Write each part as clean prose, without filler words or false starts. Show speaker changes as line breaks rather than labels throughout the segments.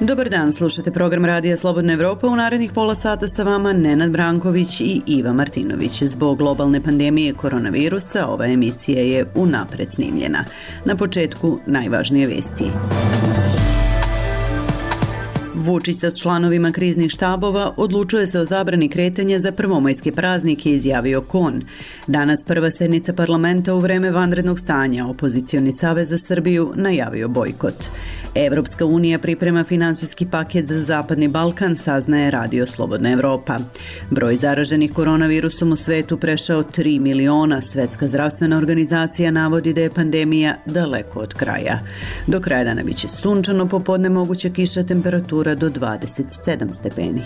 Dobar dan, slušate program Radija Slobodna Evropa. U narednih pola sata sa vama Nenad Branković i Iva Martinović. Zbog globalne pandemije koronavirusa ova emisija je unapred snimljena. Na početku najvažnije vesti. Vučić sa članovima kriznih štabova odlučuje se o zabrani kretanja za prvomajske praznike, izjavio Kon. Danas prva sednica parlamenta u vreme vanrednog stanja. Opozicioni savez za Srbiju najavio bojkot. Evropska unija priprema finansijski paket za Zapadni Balkan, saznaje Radio Slobodna Evropa. Broj zaraženih koronavirusom u svetu prešao 3 miliona. Svetska zdravstvena organizacija navodi da je pandemija daleko od kraja. Do kraja dana biće sunčano, popodne moguća kiša, temperatura do 27 stepeni.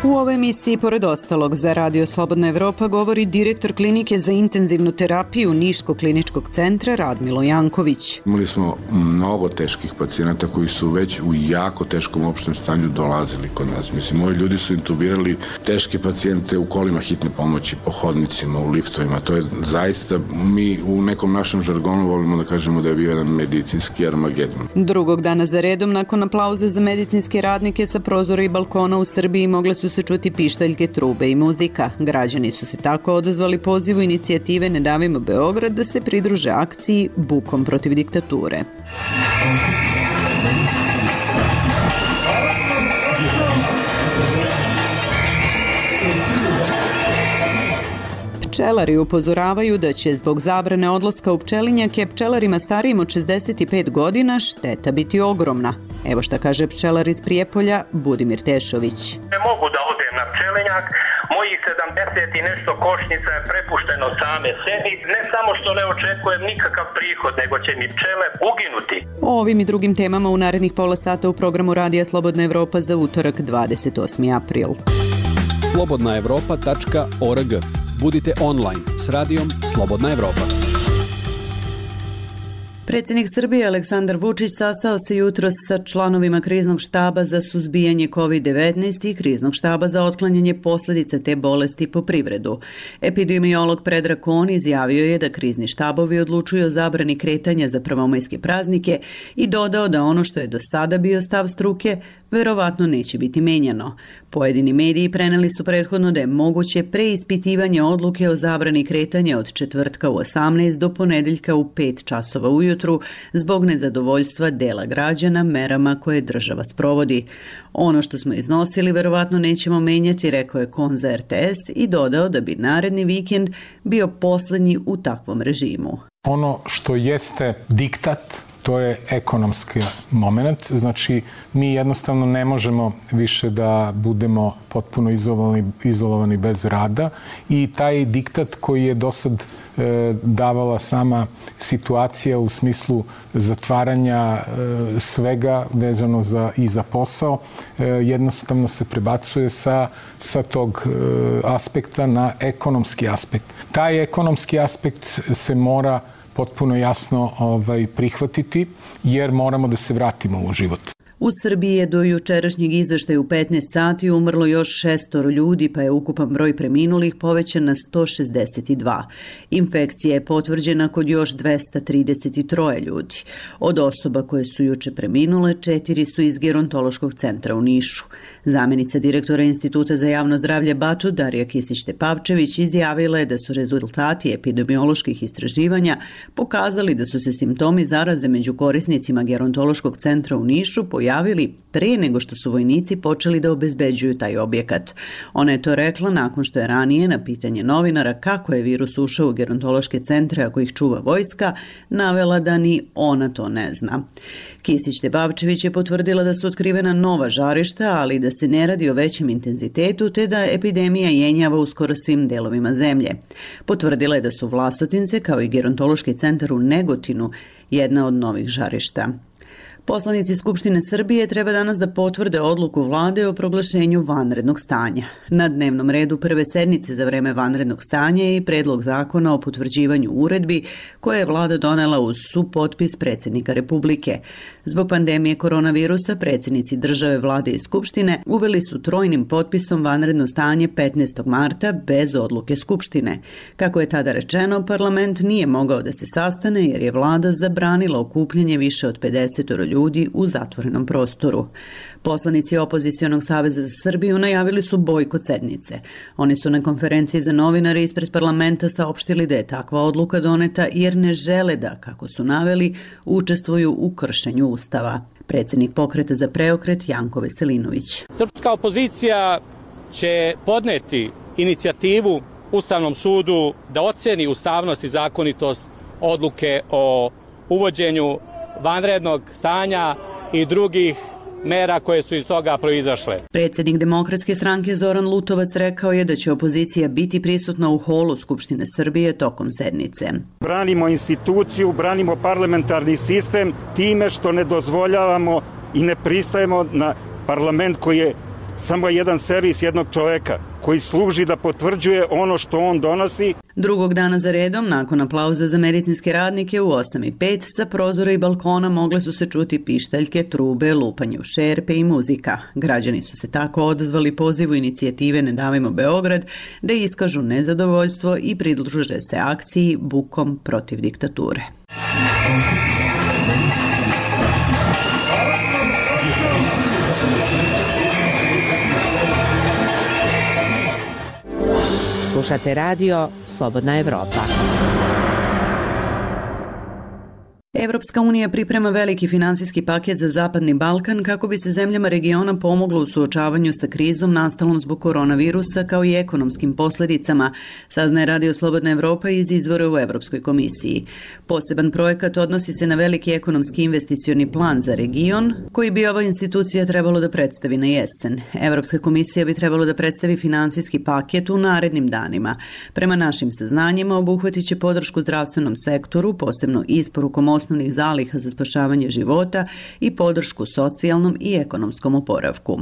U ovoj emisiji, pored ostalog, za Radio Slobodna Evropa govori direktor klinike za intenzivnu terapiju Niškog kliničkog centra Radmilo Janković.
Imali smo mnogo teških pacijenata koji su već u jako teškom opštem stanju dolazili kod nas. Mislim, ovi ljudi su intubirali teške pacijente u kolima hitne pomoći, po hodnicima, u liftovima. To je zaista, mi u nekom našem žargonu volimo da kažemo da je bio jedan medicinski armagedon.
Drugog dana za redom, nakon aplauza za medicinske radnike sa prozora i balkona u Srbiji, mogle su se čuti pištaljke, trube i muzika. Građani su se tako odazvali pozivu inicijative Ne davimo Beograd da se pridruže akciji Bukom protiv diktature. Pčelari upozoravaju da će zbog zabrane odlaska u pčelinjake pčelarima starijim od 65 godina šteta biti ogromna. Evo šta kaže pčelar iz Prijepolja Budimir Tešović.
Ne mogu da odem na pčelinjak, mojih 70 i nešto košnica je prepušteno same sebi. Ne samo što ne očekujem nikakav prihod, nego će mi pčele uginuti.
O ovim i drugim temama u narednih pola sata u programu Radija Slobodna Evropa za utorak 28. april.
slobodnaevropa.org. Budite online s Radijom Slobodna Evropa.
Predsjednik Srbije Aleksandar Vučić sastao se jutros sa članovima kriznog štaba za suzbijanje COVID-19 i kriznog štaba za otklanjanje posljedica te bolesti po privredu. Epidemiolog Predrag Kon izjavio je da krizni štabovi odlučuju o zabrani kretanja za prvomajske praznike i dodao da ono što je do sada bio stav struke verovatno neće biti menjano. Pojedini mediji preneli su prethodno da je moguće preispitivanje odluke o zabrani kretanja od četvrtka u 18 do ponedeljka u 5 časova ujutru zbog nezadovoljstva dela građana merama koje država sprovodi. Ono što smo iznosili verovatno nećemo menjati, rekao je Kon za RTS i dodao da bi naredni vikend bio posljednji u takvom režimu.
Ono što jeste diktat, to je ekonomski moment. Znači, mi jednostavno ne možemo više da budemo potpuno izolovani bez rada i taj diktat koji je dosad davala sama situacija u smislu zatvaranja svega vezano i za posao, jednostavno se prebacuje sa tog aspekta na ekonomski aspekt. Taj ekonomski aspekt se mora potpuno jasno prihvatiti, jer moramo da se vratimo u život.
U Srbiji je do jučerašnjeg izveštaja u 15 sati umrlo još 6 ljudi, pa je ukupan broj preminulih povećan na 162. Infekcija je potvrđena kod još 233 ljudi. Od osoba koje su juče preminule, 4 su iz Gerontološkog centra u Nišu. Zamjenica direktora Instituta za javno zdravlje Batut, Darija Kisić-Tepavčević, izjavila je da su rezultati epidemioloških istraživanja pokazali da su se simptomi zaraze među korisnicima Gerontološkog centra u Nišu pojavili prije nego što su vojnici počeli da obezbeđuju taj objekat. Ona je to rekla nakon što je ranije na pitanje novinara kako je virus ušao u gerontološke centre ako ih čuva vojska, navela da ni ona to ne zna. Kisić-Tepavčević je potvrdila da su otkrivena nova žarišta, ali da se ne radi o većem intenzitetu te da epidemija jenjava u skoro svim delovima zemlje. Potvrdila je da su Vlasotince, kao i gerontološki centar u Negotinu, jedna od novih žarišta. Poslanici Skupštine Srbije treba danas da potvrde odluku vlade o proglašenju vanrednog stanja. Na dnevnom redu prve sednice za vreme vanrednog stanja je i predlog zakona o potvrđivanju uredbi koje je vlada donela uz supotpis predsjednika Republike. Zbog pandemije koronavirusa predsjednici države, vlade i Skupštine uveli su trojnim potpisom vanredno stanje 15. marta bez odluke Skupštine. Kako je tada rečeno, parlament nije mogao da se sastane jer je vlada zabranila okupljanje više od 50 ljudi ljudi u zatvorenom prostoru. Poslanici Opozicionog saveza za Srbiju najavili su bojkot sednice. Oni su na konferenciji za novinare ispred parlamenta saopštili da je takva odluka doneta jer ne žele da, kako su naveli, učestvuju u kršenju Ustava. Predsjednik Pokreta za preokret Janko Veselinović.
Srpska opozicija će podneti inicijativu Ustavnom sudu da oceni ustavnost i zakonitost odluke o uvođenju vanrednog stanja i drugih mera koje su iz toga proizašle.
Predsjednik Demokratske stranke Zoran Lutovac rekao je da će opozicija biti prisutna u holu Skupštine Srbije tokom sednice.
Branimo instituciju, branimo parlamentarni sistem time što ne dozvoljavamo i ne pristajemo na parlament koji je samo jedan servis jednog čoveka koji služi da potvrđuje ono što on donosi.
Drugog dana za redom, nakon aplauza za medicinske radnike u 8:05, sa prozora i balkona mogle su se čuti pištaljke, trube, lupanje u šerpe i muzika. Građani su se tako odazvali pozivu inicijative Ne davimo Beograd da iskažu nezadovoljstvo i pridruže se akciji Bukom protiv diktature.
Slušate radio Slobodna Evropa.
Evropska unija priprema veliki finansijski paket za Zapadni Balkan kako bi se zemljama regiona pomoglo u suočavanju sa krizom nastalom zbog koronavirusa kao i ekonomskim posljedicama, saznaje Radio Slobodna Evropa iz izvora u Evropskoj komisiji. Poseban projekat odnosi se na veliki ekonomski investicioni plan za region, koji bi ova institucija trebalo da predstavi na jesen. Evropska komisija bi trebalo da predstavi finansijski paket u narednim danima. Prema našim saznanjima obuhvatit će podršku zdravstvenom sektoru, posebno isporukom osnovnih zaliha za spašavanje života i podršku socijalnom i ekonomskom oporavku.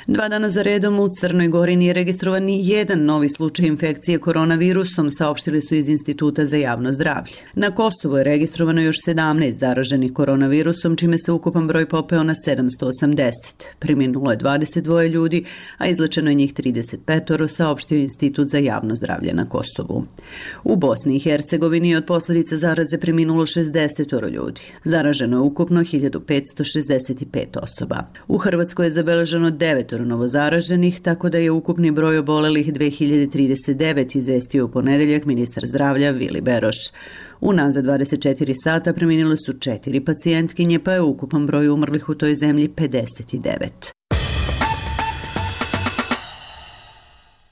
2 dana za redom u Crnoj Gori nije registrovan ni jedan novi slučaj infekcije koronavirusom, saopštili su iz Instituta za javno zdravlje. Na Kosovu je registrovano još 17 zaraženih koronavirusom, čime se ukupan broj popeo na 780. Preminulo je 22 ljudi, a izlečeno je njih 35, saopštio Institut za javno zdravlje na Kosovu. U Bosni i Hercegovini od posljedica zaraze preminulo 60 ljudi. Zaraženo je ukupno 1565 osoba. U Hrvatskoj je zabeleženo 9 novozaraženih, tako da je ukupni broj obolelih 2039, izvestio u ponedeljak ministar zdravlja Vili Beroš. Unazad 24 sata preminile su 4 pacijentkinje, pa je ukupan broj umrlih u toj zemlji 59.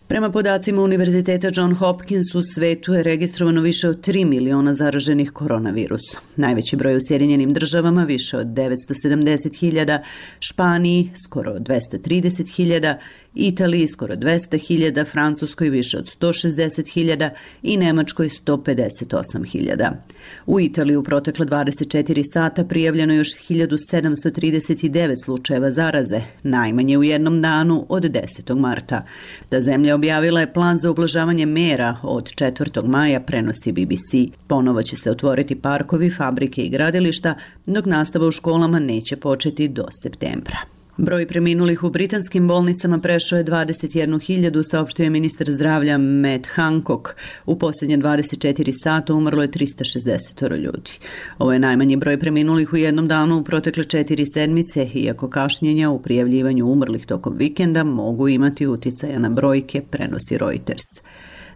Prema podacima Univerziteta John Hopkins, u svetu je registrovano više od 3 miliona zaraženih koronavirusom. Najveći broj u Sjedinjenim državama, više od 970.000, Španiji skoro 230.000, Italiji skoro 200.000, Francuskoj više od 160.000 i Nemačkoj 158.000. U Italiji u protekla 24 sata prijavljeno još 1739 slučajeva zaraze, najmanje u jednom danu od 10. marta. Ta zemlja objavila je plan za ublažavanje mera od 4. maja, prenosi BBC. Ponovo će se otvoriti parkovi, fabrike i gradilišta, dok nastava u školama neće početi do septembra. Broj preminulih u britanskim bolnicama prešao je 21.000, saopštio je ministar zdravlja Matt Hancock. U posljednje 24 sata umrlo je 360 ljudi. Ovo je najmanji broj preminulih u jednom danu u protekle 4 sedmice, iako kašnjenja u prijavljivanju umrlih tokom vikenda mogu imati uticaja na brojke, prenosi Reuters.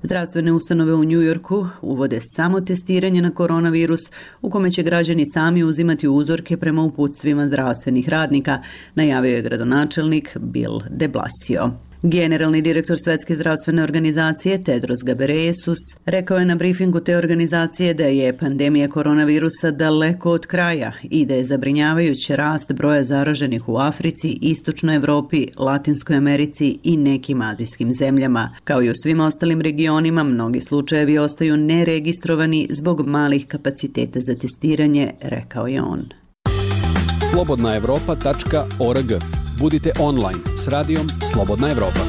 Zdravstvene ustanove u New Yorku uvode samo testiranje na koronavirus, u kome će građani sami uzimati uzorke prema uputstvima zdravstvenih radnika, najavio je gradonačelnik Bill de Blasio. Generalni direktor Svetske zdravstvene organizacije Tedros Ghebreyesus rekao je na brifingu te organizacije da je pandemija koronavirusa daleko od kraja i da je zabrinjavajući rast broja zaraženih u Africi, Istočnoj Evropi, Latinskoj Americi i nekim azijskim zemljama. Kao i u svim ostalim regionima, mnogi slučajevi ostaju neregistrovani zbog malih kapaciteta za testiranje, rekao je on.
slobodnaevropa.org. Budite online s radijom Slobodna Evropa.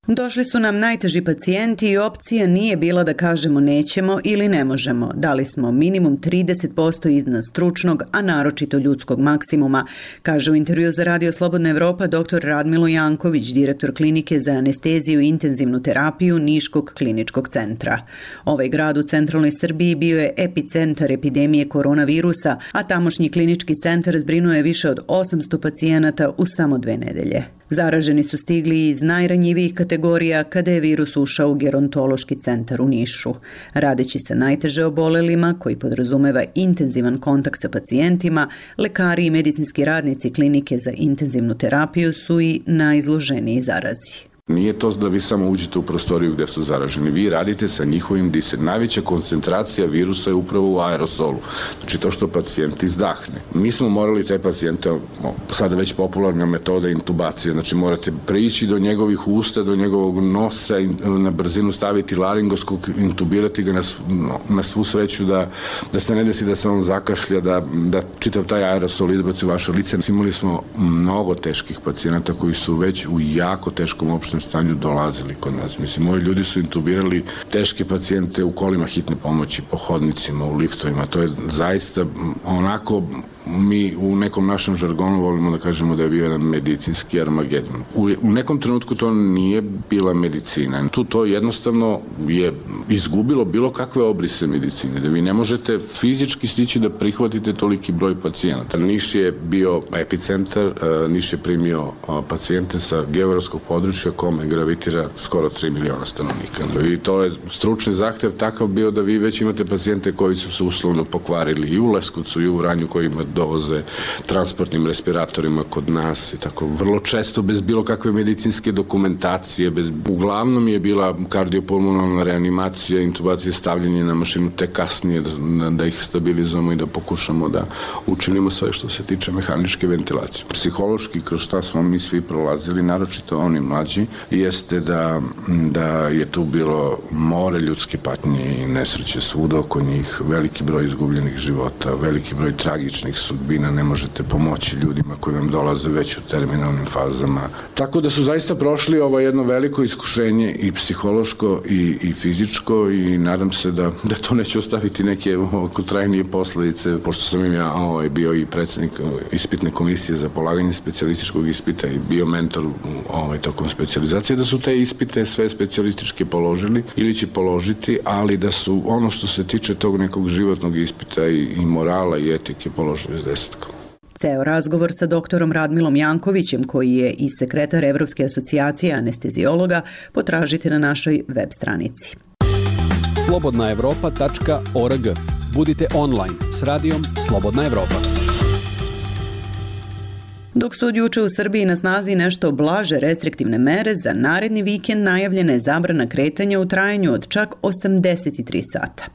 Došli su nam najteži pacijenti i opcija nije bila da kažemo nećemo ili ne možemo. Dali smo minimum 30% iznad stručnog, a naročito ljudskog maksimuma, kaže u intervju za Radio Slobodna Evropa dr. Radmilo Janković, direktor klinike za anesteziju i intenzivnu terapiju Niškog kliničkog centra. Ovaj grad u centralnoj Srbiji bio je epicentar epidemije koronavirusa, a tamošnji klinički centar zbrinuo je više od 800 pacijenata u samo 2 nedelje. Zaraženi su stigli iz najranjivijih kategorija kada je virus ušao u gerontološki centar u Nišu. Radeći sa najteže obolelima, koji podrazumeva intenzivan kontakt sa pacijentima, lekari i medicinski radnici klinike za intenzivnu terapiju su i najizloženiji zarazi.
Nije to da vi samo uđete u prostoriju gde su zaraženi. Vi radite sa njihovim disanjem. Najveća koncentracija virusa je upravo u aerosolu. Znači to što pacijent izdahne. Mi smo morali te pacijente, sada već popularna metoda intubacije, znači morate prići do njegovih usta, do njegovog nosa, na brzinu staviti laringoskop, intubirati ga na svu sreću da se ne desi da se on zakašlja, da čitav taj aerosol izbaci u vaše lice. Imali smo mnogo teških pacijenata koji su već u jako teškom opštem stanju dolazili kod nas. Mislim, moji ljudi su intubirali teške pacijente u kolima hitne pomoći, po hodnicima, u liftovima. To je zaista onako, mi u nekom našem žargonu volimo da kažemo da je bio jedan medicinski armagedon. U nekom trenutku to nije bila medicina. To jednostavno je izgubilo bilo kakve obrise medicine, da vi ne možete fizički stići da prihvatite toliki broj pacijenata. Niš je bio epicentar, Niš je primio pacijente sa geografskog područja kome gravitira skoro 3 miliona stanovnika. I to je stručni zahtev takav bio da vi već imate pacijente koji su se uslovno pokvarili i u Leskovcu i u Vranju, koji ima dovoze transportnim respiratorima kod nas i tako vrlo često bez bilo kakve medicinske dokumentacije, uglavnom je bila kardiopulmonalna reanimacija, intubacija, stavljanje na mašinu, te kasnije da ih stabilizujemo i da pokušamo da učinimo sve što se tiče mehaničke ventilacije. Psihološki, kroz šta smo mi svi prolazili, naročito oni mlađi, jeste da je tu bilo more ljudske patnje i nesreće svuda oko njih, veliki broj izgubljenih života, veliki broj tragičnih sudbina, ne možete pomoći ljudima koji vam dolaze već u terminalnim fazama. Tako da su zaista prošli ovo jedno veliko iskušenje i psihološko i fizičko i nadam se da to neće ostaviti neke trajnije posledice, pošto sam im ja bio i predsednik ispitne komisije za polaganje specijalističkog ispita i bio mentor tokom specijalizacije, da su te ispite sve specijalističke položili ili će položiti, ali da su ono što se tiče tog nekog životnog ispita i morala i etike položili s 10.
Ceo razgovor sa doktorom Radmilom Jankovićem, koji je i sekretar Evropske asocijacije anestezijologa, potražite na našoj web stranici.
slobodnaevropa.org. Budite online s radijom Slobodna Evropa.
Dok su od juče u Srbiji na snazi nešto blaže restriktivne mere, za naredni vikend najavljena je zabrana kretanja u trajanju od čak 83 sata.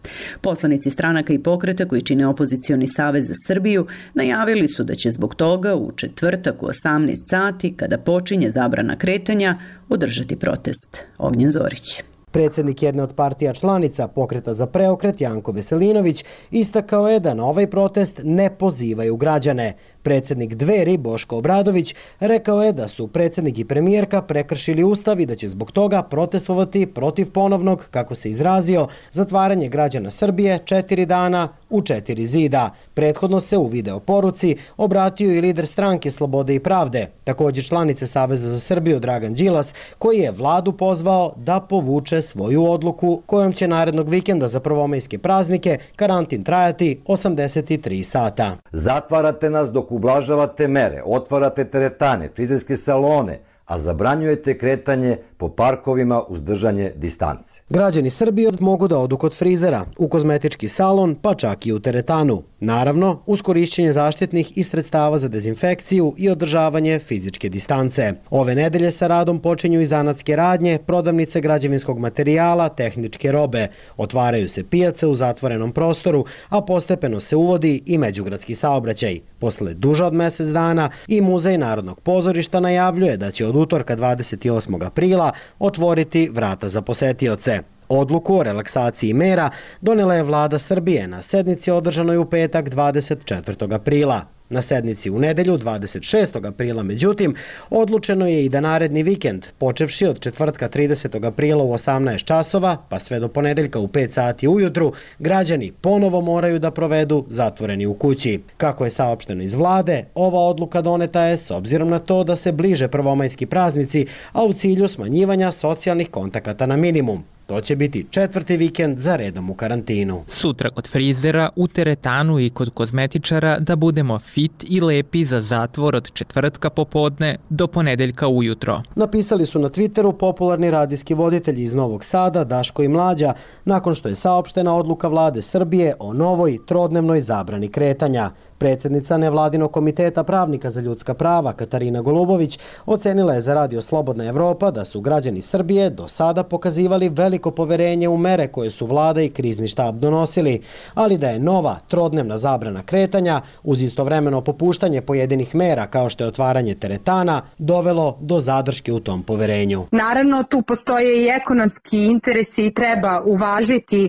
Poslanici stranaka i pokreta koji čine opozicioni savez za Srbiju najavili su da će zbog toga u četvrtak u 18 sati, kada počinje zabrana kretanja, održati protest. Ognjen Zorić.
Predsjednik jedne od partija članica Pokreta za preokret Janko Veselinović istakao je da na ovaj protest ne pozivaju građane. Predsjednik Dveri Boško Obradović rekao je da su predsjednik i premijerka prekršili ustav i da će zbog toga protestovati protiv ponovnog, kako se izrazio, zatvaranje građana Srbije 4 dana u 4 zida. Prethodno se u video poruci obratio i lider stranke Slobode i pravde, također članice Saveza za Srbiju Dragan Đilas, koji je vladu pozvao da povuče svoju odluku kojom će narednog vikenda za prvomajske praznike karantin trajati 83 sata.
Zatvarate nas dok ublažavate mere, otvarate teretane, frizerske salone, a zabranjujete kretanje po parkovima uz držanje distance.
Građani Srbije mogu da odu kod frizera, u kozmetički salon, pa čak i u teretanu. Naravno, uz korišćenje zaštitnih i sredstava za dezinfekciju i održavanje fizičke distance. Ove nedelje sa radom počinju i zanatske radnje, prodavnice građevinskog materijala, tehničke robe. Otvaraju se pijace u zatvorenom prostoru, a postepeno se uvodi i međugradski saobraćaj. Posle duže od mjesec dana i Muzej Narodnog pozorišta najavljuje da će od utorka 28. aprila otvoriti vrata za posetioce. Odluku o relaksaciji mera donela je vlada Srbije na sednici održanoj u petak 24. aprila. Na sednici u nedelju 26. aprila, međutim, odlučeno je i da naredni vikend, počevši od četvrtka 30. aprila u 18 časova, pa sve do ponedeljka u 5 sati ujutru, građani ponovo moraju da provedu zatvoreni u kući. Kako je saopšteno iz vlade, ova odluka doneta je s obzirom na to da se bliže prvomajski praznici, a u cilju smanjivanja socijalnih kontakata na minimum. To će biti 4. vikend za redom u karantinu.
Sutra kod frizera, u teretanu i kod kozmetičara da budemo fit i lepi za zatvor od četvrtka popodne do ponedeljka ujutro.
Napisali su na Twitteru popularni radijski voditelji iz Novog Sada, Daško i Mlađa, nakon što je saopštena odluka vlade Srbije o novoj trodnevnoj zabrani kretanja. Predsjednica nevladinog komiteta pravnika za ljudska prava Katarina Golubović ocenila je za Radio Slobodna Evropa da su građani Srbije do sada pokazivali veliko poverenje u mere koje su vlada i krizni štab donosili, ali da je nova trodnevna zabrana kretanja uz istovremeno popuštanje pojedinih mera kao što je otvaranje teretana dovelo do zadrške u tom poverenju.
Naravno, tu postoje i ekonomski interesi i treba uvažiti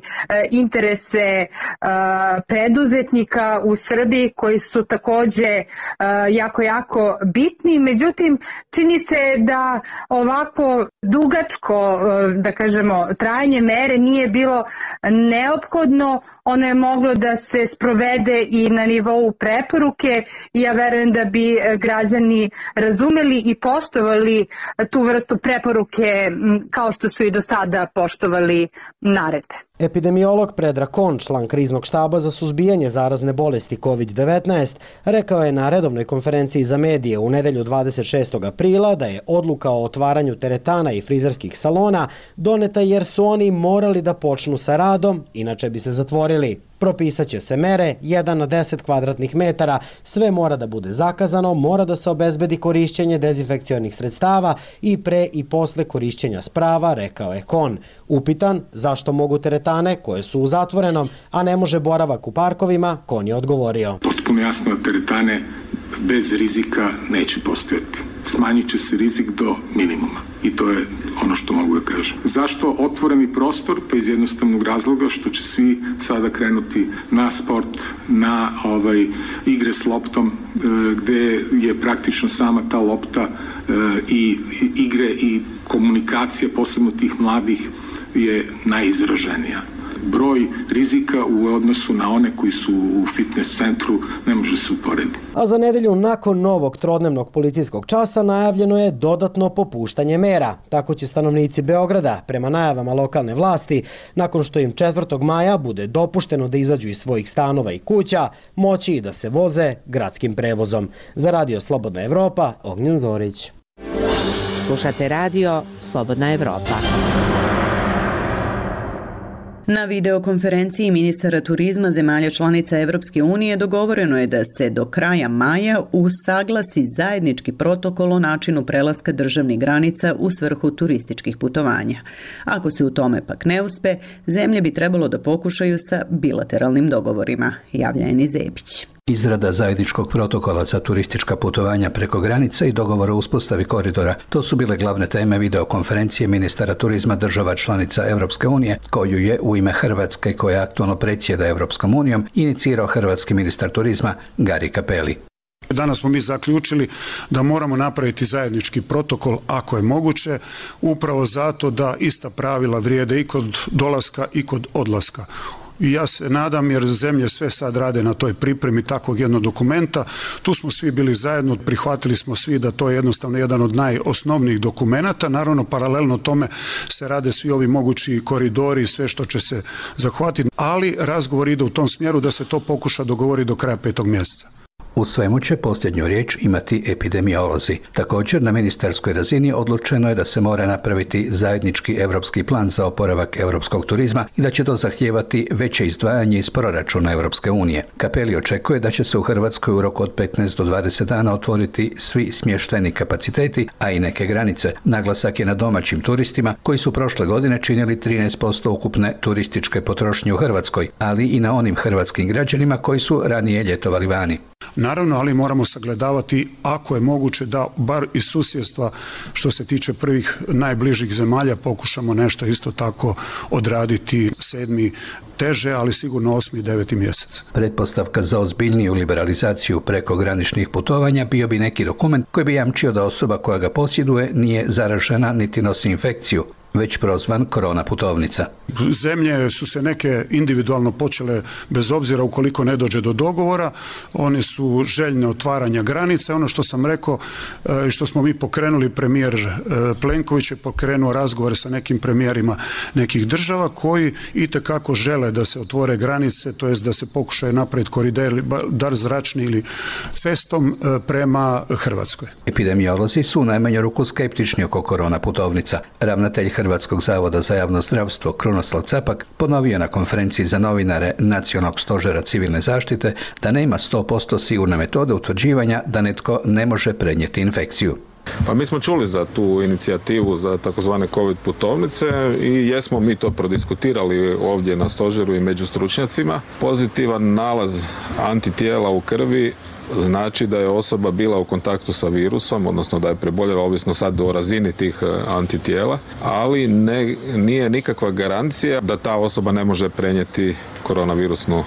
interese preduzetnika u Srbiji koji su takođe jako bitni. Međutim, čini se da ovako dugačko, da kažemo, trajanje mere nije bilo neophodno. Ono je moglo da se sprovede i na nivou preporuke i ja verujem da bi građani razumeli i poštovali tu vrstu preporuke kao što su i do sada poštovali naredbe.
Epidemiolog Predrag Kon, član kriznog štaba za suzbijanje zarazne bolesti COVID-19, rekao je na redovnoj konferenciji za medije u nedelju 26. aprila da je odluka o otvaranju teretana i frizerskih salona doneta jer su oni morali da počnu sa radom, inače bi se zatvorili. Propisat će se mere 1 na 10 kvadratnih metara, sve mora da bude zakazano, mora da se obezbedi korišćenje dezinfekcionih sredstava i pre i posle korišćenja sprava, rekao je Kon. Upitan zašto mogu teretane koje su u zatvorenom, a ne može boravak u parkovima, Kon je odgovorio.
Potpuno jasno da teretane bez rizika neće postojati. Smanjit će se rizik do minimuma i to je ono što mogu da kažem. Zašto otvoreni prostor? Pa iz jednostavnog razloga što će svi sada krenuti na sport, na igre s loptom, gde je praktično sama ta lopta i igre i komunikacija, posebno tih mladih, je najizraženija. Broj rizika u odnosu na one koji su u fitness centru ne može se uporediti.
A za nedelju nakon novog trodnevnog policijskog časa najavljeno je dodatno popuštanje mera. Tako će stanovnici Beograda, prema najavama lokalne vlasti, nakon što im 4. maja bude dopušteno da izađu iz svojih stanova i kuća, moći i da se voze gradskim prevozom. Za Radio Slobodna Evropa, Ognjen Zorić.
Slušate Radio Slobodna Evropa.
Na videokonferenciji ministara turizma zemalja članica Evropske unije dogovoreno je da se do kraja maja usaglasi zajednički protokol o načinu prelaska državnih granica u svrhu turističkih putovanja. Ako se u tome pak ne uspe, zemlje bi trebalo da pokušaju sa bilateralnim dogovorima, javlja Eni Zepić.
Izrada zajedničkog protokola za turistička putovanja preko granice i dogovor o uspostavi koridora. To su bile glavne teme videokonferencije ministara turizma država članica Evropske unije, koju je u ime Hrvatske, koja aktualno predsjeda Evropskom unijom, inicirao hrvatski ministar turizma Gari Cappelli.
Danas smo mi zaključili da moramo napraviti zajednički protokol ako je moguće, upravo zato da ista pravila vrijede i kod dolaska i kod odlaska. I ja se nadam, jer zemlje sve sad rade na toj pripremi takvog jednog dokumenta. Tu smo svi bili zajedno, prihvatili smo svi da to je jednostavno jedan od najosnovnijih dokumenata. Naravno, paralelno tome se rade svi ovi mogući koridori i sve što će se zahvatiti, ali razgovor ide u tom smjeru da se to pokuša dogovoriti do kraja 5. mjeseca.
U svemu će posljednju riječ imati epidemiolozi. Također, na ministarskoj razini odlučeno je da se mora napraviti zajednički evropski plan za oporavak europskog turizma i da će to zahtijevati veće izdvajanje iz proračuna Evropske unije. Cappelli očekuje da će se u Hrvatskoj u roku od 15 do 20 dana otvoriti svi smještajni kapaciteti, a i neke granice. Naglasak je na domaćim turistima koji su prošle godine činili 13% ukupne turističke potrošnje u Hrvatskoj, ali i na onim hrvatskim građanima koji su ranije ljetovali vani.
Naravno, ali moramo sagledavati ako je moguće da bar iz susjedstva što se tiče prvih najbližih zemalja pokušamo nešto isto tako odraditi 7. teže, ali sigurno 8. i 9. mjesec.
Pretpostavka za ozbiljniju liberalizaciju prekograničnih putovanja bio bi neki dokument koji bi jamčio da osoba koja ga posjeduje nije zaražena niti nosi infekciju, već prozvan korona putovnica.
Zemlje su se neke individualno počele, bez obzira ukoliko ne dođe do dogovora, one su željne otvaranja granica. Ono što sam rekao i što smo mi pokrenuli, premijer Plenković je pokrenuo razgovore sa nekim premijerima nekih država koji itekako žele da se otvore granice, to jest da se pokušaju napraviti koridor, dar zračni ili cestom prema Hrvatskoj.
Epidemiolozi su u najmanju ruku skeptični oko korona putovnica. Ravnatelj Hrvatskog zavoda za javno zdravstvo Krunoslav Capak ponovio na konferenciji za novinare Nacionalnog stožera civilne zaštite da nema 100% sigurne metode utvrđivanja da netko ne može prenijeti infekciju.
Pa mi smo čuli za tu inicijativu za takozvane COVID putovnice i jesmo mi to prodiskutirali ovdje na stožeru i među stručnjacima. Pozitivan nalaz antitijela u krvi znači da je osoba bila u kontaktu sa virusom, odnosno da je preboljela, ovisno sad o razini tih antitijela, ali nije nikakva garancija da ta osoba ne može prenijeti koronavirusnu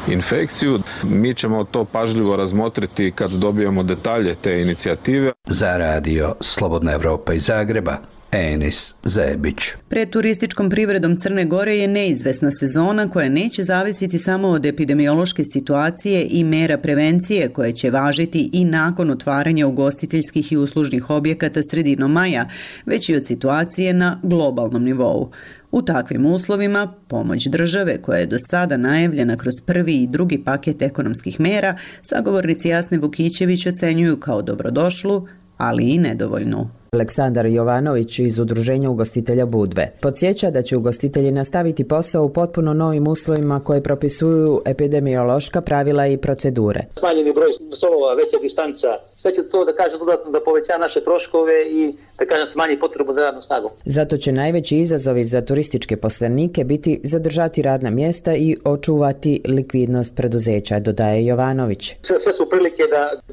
infekciju. Mi ćemo to pažljivo razmotriti kad dobijemo detalje te inicijative.
Za radio Slobodna Evropa iz Zagreba, Enis Zebić.
Pred turističkom privredom Crne Gore je neizvesna sezona koja neće zavisiti samo od epidemiološke situacije i mera prevencije koje će važiti i nakon otvaranja ugostiteljskih i uslužnih objekata sredinom maja, već i od situacije na globalnom nivou. U takvim uslovima, pomoć države, koja je do sada najavljena kroz prvi i drugi paket ekonomskih mera, sagovornici Jasne Vukićević ocenjuju kao dobrodošlu, ali i nedovoljnu.
Aleksandar Jovanović iz Udruženja ugostitelja Budve podsjeća da će ugostitelji nastaviti posao u potpuno novim uslovima koje propisuju epidemiološka pravila i procedure.
Smanjeni broj stolova, veća distanca, sve će to da kažem dodatno da poveća naše troškove i da kažem smanji potrebu za radnom snagom.
Zato će najveći izazovi za turističke poslenike biti zadržati radna mjesta i očuvati likvidnost preduzeća, dodaje Jovanović.
Sve su prilike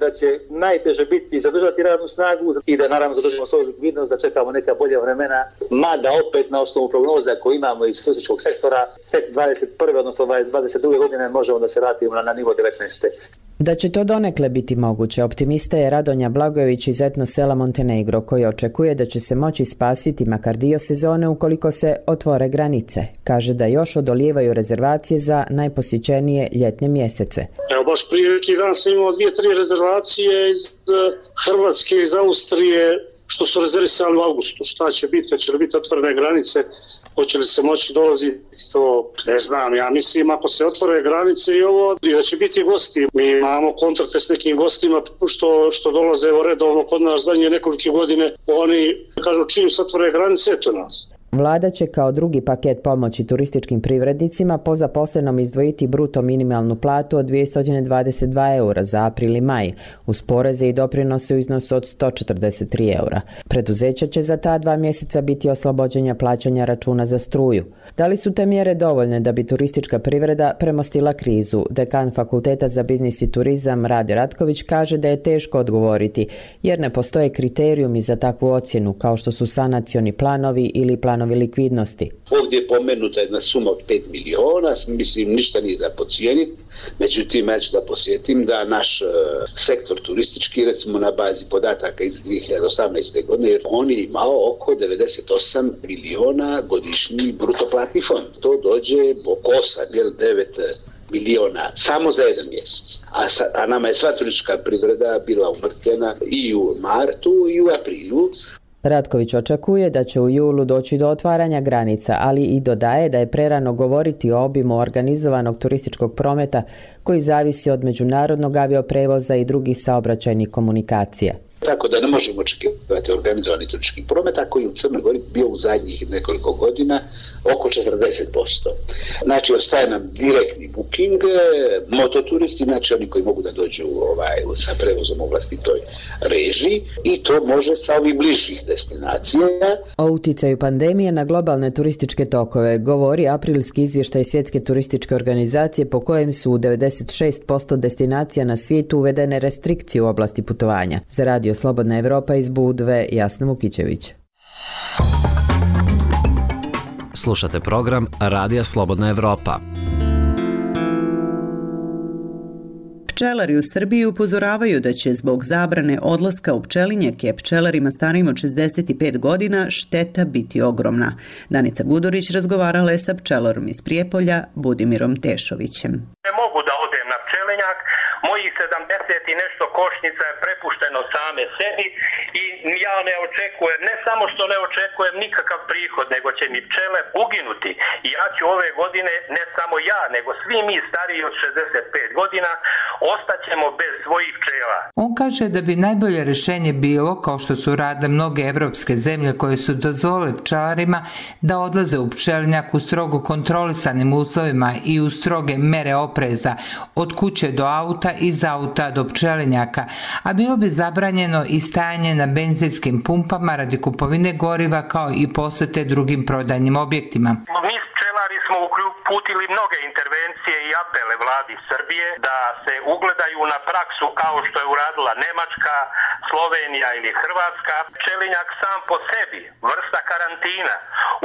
da će najteže biti zadržati radnu snagu i da naravno zadržimo svoju likvidnost, da čekamo neka bolja vremena, mada opet na osnovu prognoza koje imamo iz turističkog sektora, tek 21. odnosno 22. godine možemo da se vratimo na nivo 19.
Da će to donekle biti moguće, optimista je Radonja Blagojević iz etno sela Montenegro, koji očekuje da će se moći spasiti makar dio sezone ukoliko se otvore granice. Kaže da još odolijevaju rezervacije za najposjećenije ljetne mjesece.
Evo baš prije neki dan sam imao 2-3 rezervacije iz Hrvatske, iz Austrije, što su rezervisali u augustu. Šta će biti? Će li biti otvorene granice? Hoće li se moći dolaziti? To ne znam. Ja mislim ako se otvore granice i ovo, da će biti gosti. Mi imamo kontrakte s nekim gostima što dolaze redovno kod nas zadnje nekolike godine. Oni kažu čim se otvore granice, eto nas.
Vlada će kao drugi paket pomoći turističkim privrednicima po zaposlenom izdvojiti bruto minimalnu platu od 222 eura za april i maj, uz poreze i doprinose u iznosu od 143 eura. Preduzeća će za ta 2 mjeseca biti oslobođenja plaćanja računa za struju. Da li su te mjere dovoljne da bi turistička privreda premostila krizu? Dekan Fakulteta za biznis i turizam Rade Ratković kaže da je teško odgovoriti, jer ne postoje kriterijumi za takvu ocjenu, kao što su sanacioni planovi ili planovi likvidnosti.
Ovdje je pomenuta jedna suma od 5 miliona, mislim ništa nije za podcijeniti, međutim ja ću da posjetim da naš sektor turistički, recimo na bazi podataka iz 2018. godine, on je imao oko 98 miliona godišnji bruto platni fond. To dođe oko 8-9 miliona samo za jedan mjesec. A nama je sva turistička privreda bila umrtvljena i u martu i u aprilu.
Ratković očekuje da će u julu doći do otvaranja granica, ali i dodaje da je prerano govoriti o obimu organizovanog turističkog prometa koji zavisi od međunarodnog avioprevoza i drugih saobraćajnih komunikacija.
Tako da ne možemo očekivati organizovani turistički promet, a koji u Crnoj Gori bio u zadnjih nekoliko godina oko 40%. Znači, ostaje nam direktni booking, mototuristi, znači oni koji mogu da dođu sa prevozom u vlastitoj režiji i to može sa ovih bližih destinacija.
O uticaju pandemije na globalne turističke tokove govori aprilski izvještaj Svjetske turističke organizacije po kojem su u 96% destinacija na svijetu uvedene restrikcije u oblasti putovanja. Za Radio Slobodna Evropa iz Budve, Jasna Vukićević.
Slušate program Radija Slobodna Evropa.
Pčelari u Srbiji upozoravaju da će zbog zabrane odlaska u pčelinjake pčelarima starijim od 65 godina šteta biti ogromna. Danica Gudurić razgovarala je sa pčelarom iz Prijepolja, Budimirom Tešovićem.
Ne mogu da odem na pčelinjak, mojih 70 i nešto košnica je prepušteno same sebi i ja ne očekujem, ne samo što ne očekujem nikakav prihod, nego će mi pčele uginuti. I ja ću ove godine, ne samo ja, nego svi mi stariji od 65 godina, ostaćemo bez svojih pčela.
On kaže da bi najbolje rješenje bilo, kao što su radile mnoge evropske zemlje koje su dozvolile pčelarima da odlaze u pčelinjak u strogo kontrolisanim uslovima i u stroge mere opreza, od kuće do auta, iz auta do pčelinjaka, a bilo bi zabranjeno i stajanje na benzinskim pumpama radi kupovine goriva kao i posete drugim prodajnim objektima.
Mi pčelari smo uputili mnoge intervencije i apele vladi Srbije da se ugledaju na praksu kao što je uradila Nemačka, Slovenija ili Hrvatska. Pčelinjak sam po sebi, vrsta karantina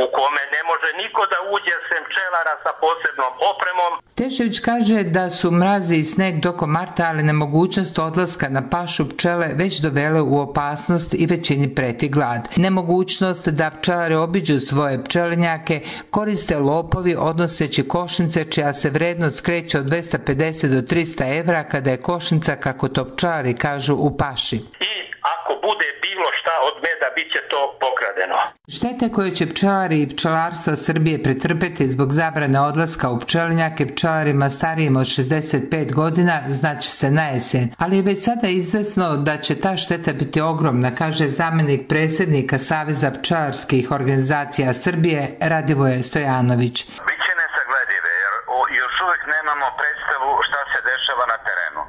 u kome ne može niko da uđe sem pčelara sa posebnom opremom.
Tešević kaže da su mrazi i sneg tokom marta, ali nemogućnost odlaska na pašu pčele već dovele u opasnost i većini preti glad. Nemogućnost da pčelari obiđu svoje pčelinjake koriste lopovi odnoseći košnice čija se vrednost kreće od 250 do 300 evra kada je košnica, kako to pčelari kažu, u paši.
I ako bude bilo šta od meda, bit će to pokradeno.
Štete koje će pčelari i pčelarstva Srbije pretrpeti zbog zabrane odlaska u pčelinjake pčelarima starijim od 65 godina znaće se na jesen, ali je već sada izvesno da će ta šteta biti ogromna, kaže zamjenik predsjednika Saveza pčelarskih organizacija Srbije Radivoje Stojanović.
Biće nesagledive jer još uvijek nemamo predstavu šta se dešava na terenu.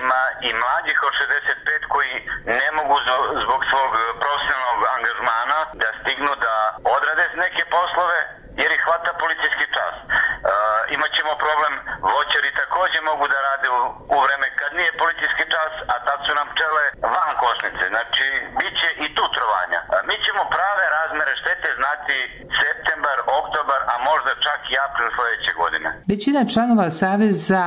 Ima i mlađih od 65 koji ne mogu zbog svog profesionalnog angažmana da stignu da odrade neke poslove jer ih hvata policijski čas. Imaćemo problem, voćari također mogu da rade u vreme kad nije policijski čas, a tad su nam pčele van košnice. Znači, bit će i tu trovanja. Mi ćemo prave razmere štete znati septembar, oktobar, a možda čak i april sljedeće godine.
Većina članova Saveza,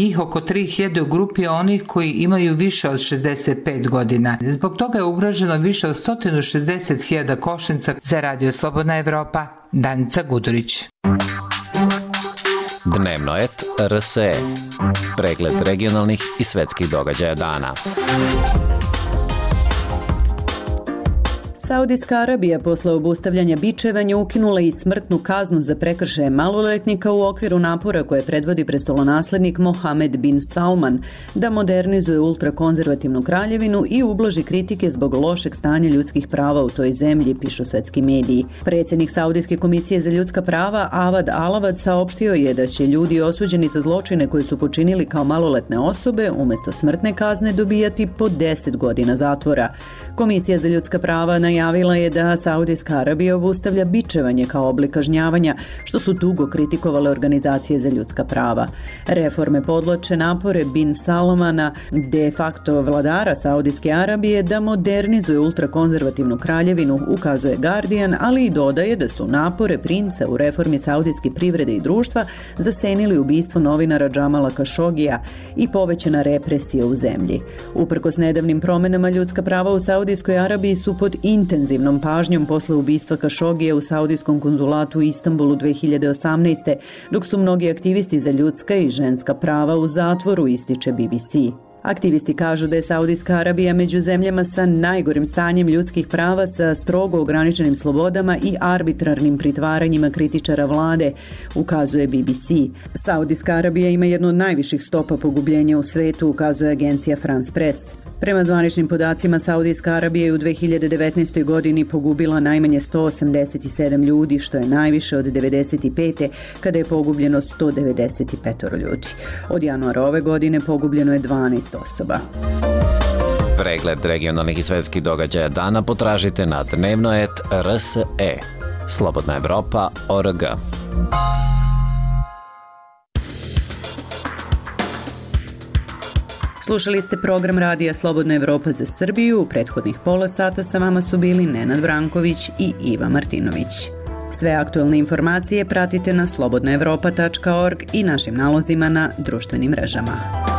njih oko 3000 u grupi onih koji imaju više od 65 godina. Zbog toga je ugroženo više od 160.000 košnica. Za Radio Slobodna Evropa, Danica Gudurić.
Dnevnoet RSE. Pregled regionalnih i svetskih događaja dana.
Saudijska Arabija posle obustavljanja bičevanja ukinula i smrtnu kaznu za prekršaje maloletnika u okviru napora koje predvodi prestolonaslednik Mohamed bin Salman da modernizuje ultrakonzervativnu kraljevinu i ublaži kritike zbog lošeg stanja ljudskih prava u toj zemlji, pišu svetski mediji. Predsjednik Saudijske komisije za ljudska prava Avad Alavad saopštio je da će ljudi osuđeni za zločine koje su počinili kao maloletne osobe umjesto smrtne kazne dobijati po 10 godina zatvora. Komisija za ljudska prava najavila je da Saudijska Arabija obustavlja bičevanje kao oblik kažnjavanja, što su dugo kritikovale organizacije za ljudska prava. Reforme podloče napore bin Salmana, de facto vladara Saudijske Arabije, da modernizuje ultrakonzervativnu kraljevinu, ukazuje Guardian, ali i dodaje da su napore princa u reformi saudijske privrede i društva zasenili ubistvo novinara Džamala Kašogija i povećana represija u zemlji. Uprkos nedavnim promenama, ljudska prava u Saudijskoj Arabiji su pod intenzivnom pažnjom posle ubistva Kašogija u saudijskom konzulatu u Istanbulu 2018. dok su mnogi aktivisti za ljudska i ženska prava u zatvoru, ističe BBC. Aktivisti kažu da je Saudijska Arabija među zemljama sa najgorim stanjem ljudskih prava, sa strogo ograničenim slobodama i arbitrarnim pritvaranjima kritičara vlade, ukazuje BBC. Saudijska Arabija ima jednu od najviših stopa pogubljenja u svetu, ukazuje agencija France Press. Prema zvaničnim podacima, Saudijska Arabija je u 2019. godini pogubila najmanje 187 ljudi, što je najviše od 1995. kada je pogubljeno 195 ljudi. Od januara ove godine pogubljeno je 12 osoba.
Pregled regionalnih i svetskih događaja dana potražite na dnevno.rs.e. Slobodna Evropa.org.
Slušali ste program radija Slobodna Evropa za Srbiju. U prethodnih pola sata sa vama su bili Nenad Branković i Iva Martinović. Sve aktualne informacije pratite na slobodnaevropa.org i našim nalozima na društvenim mrežama.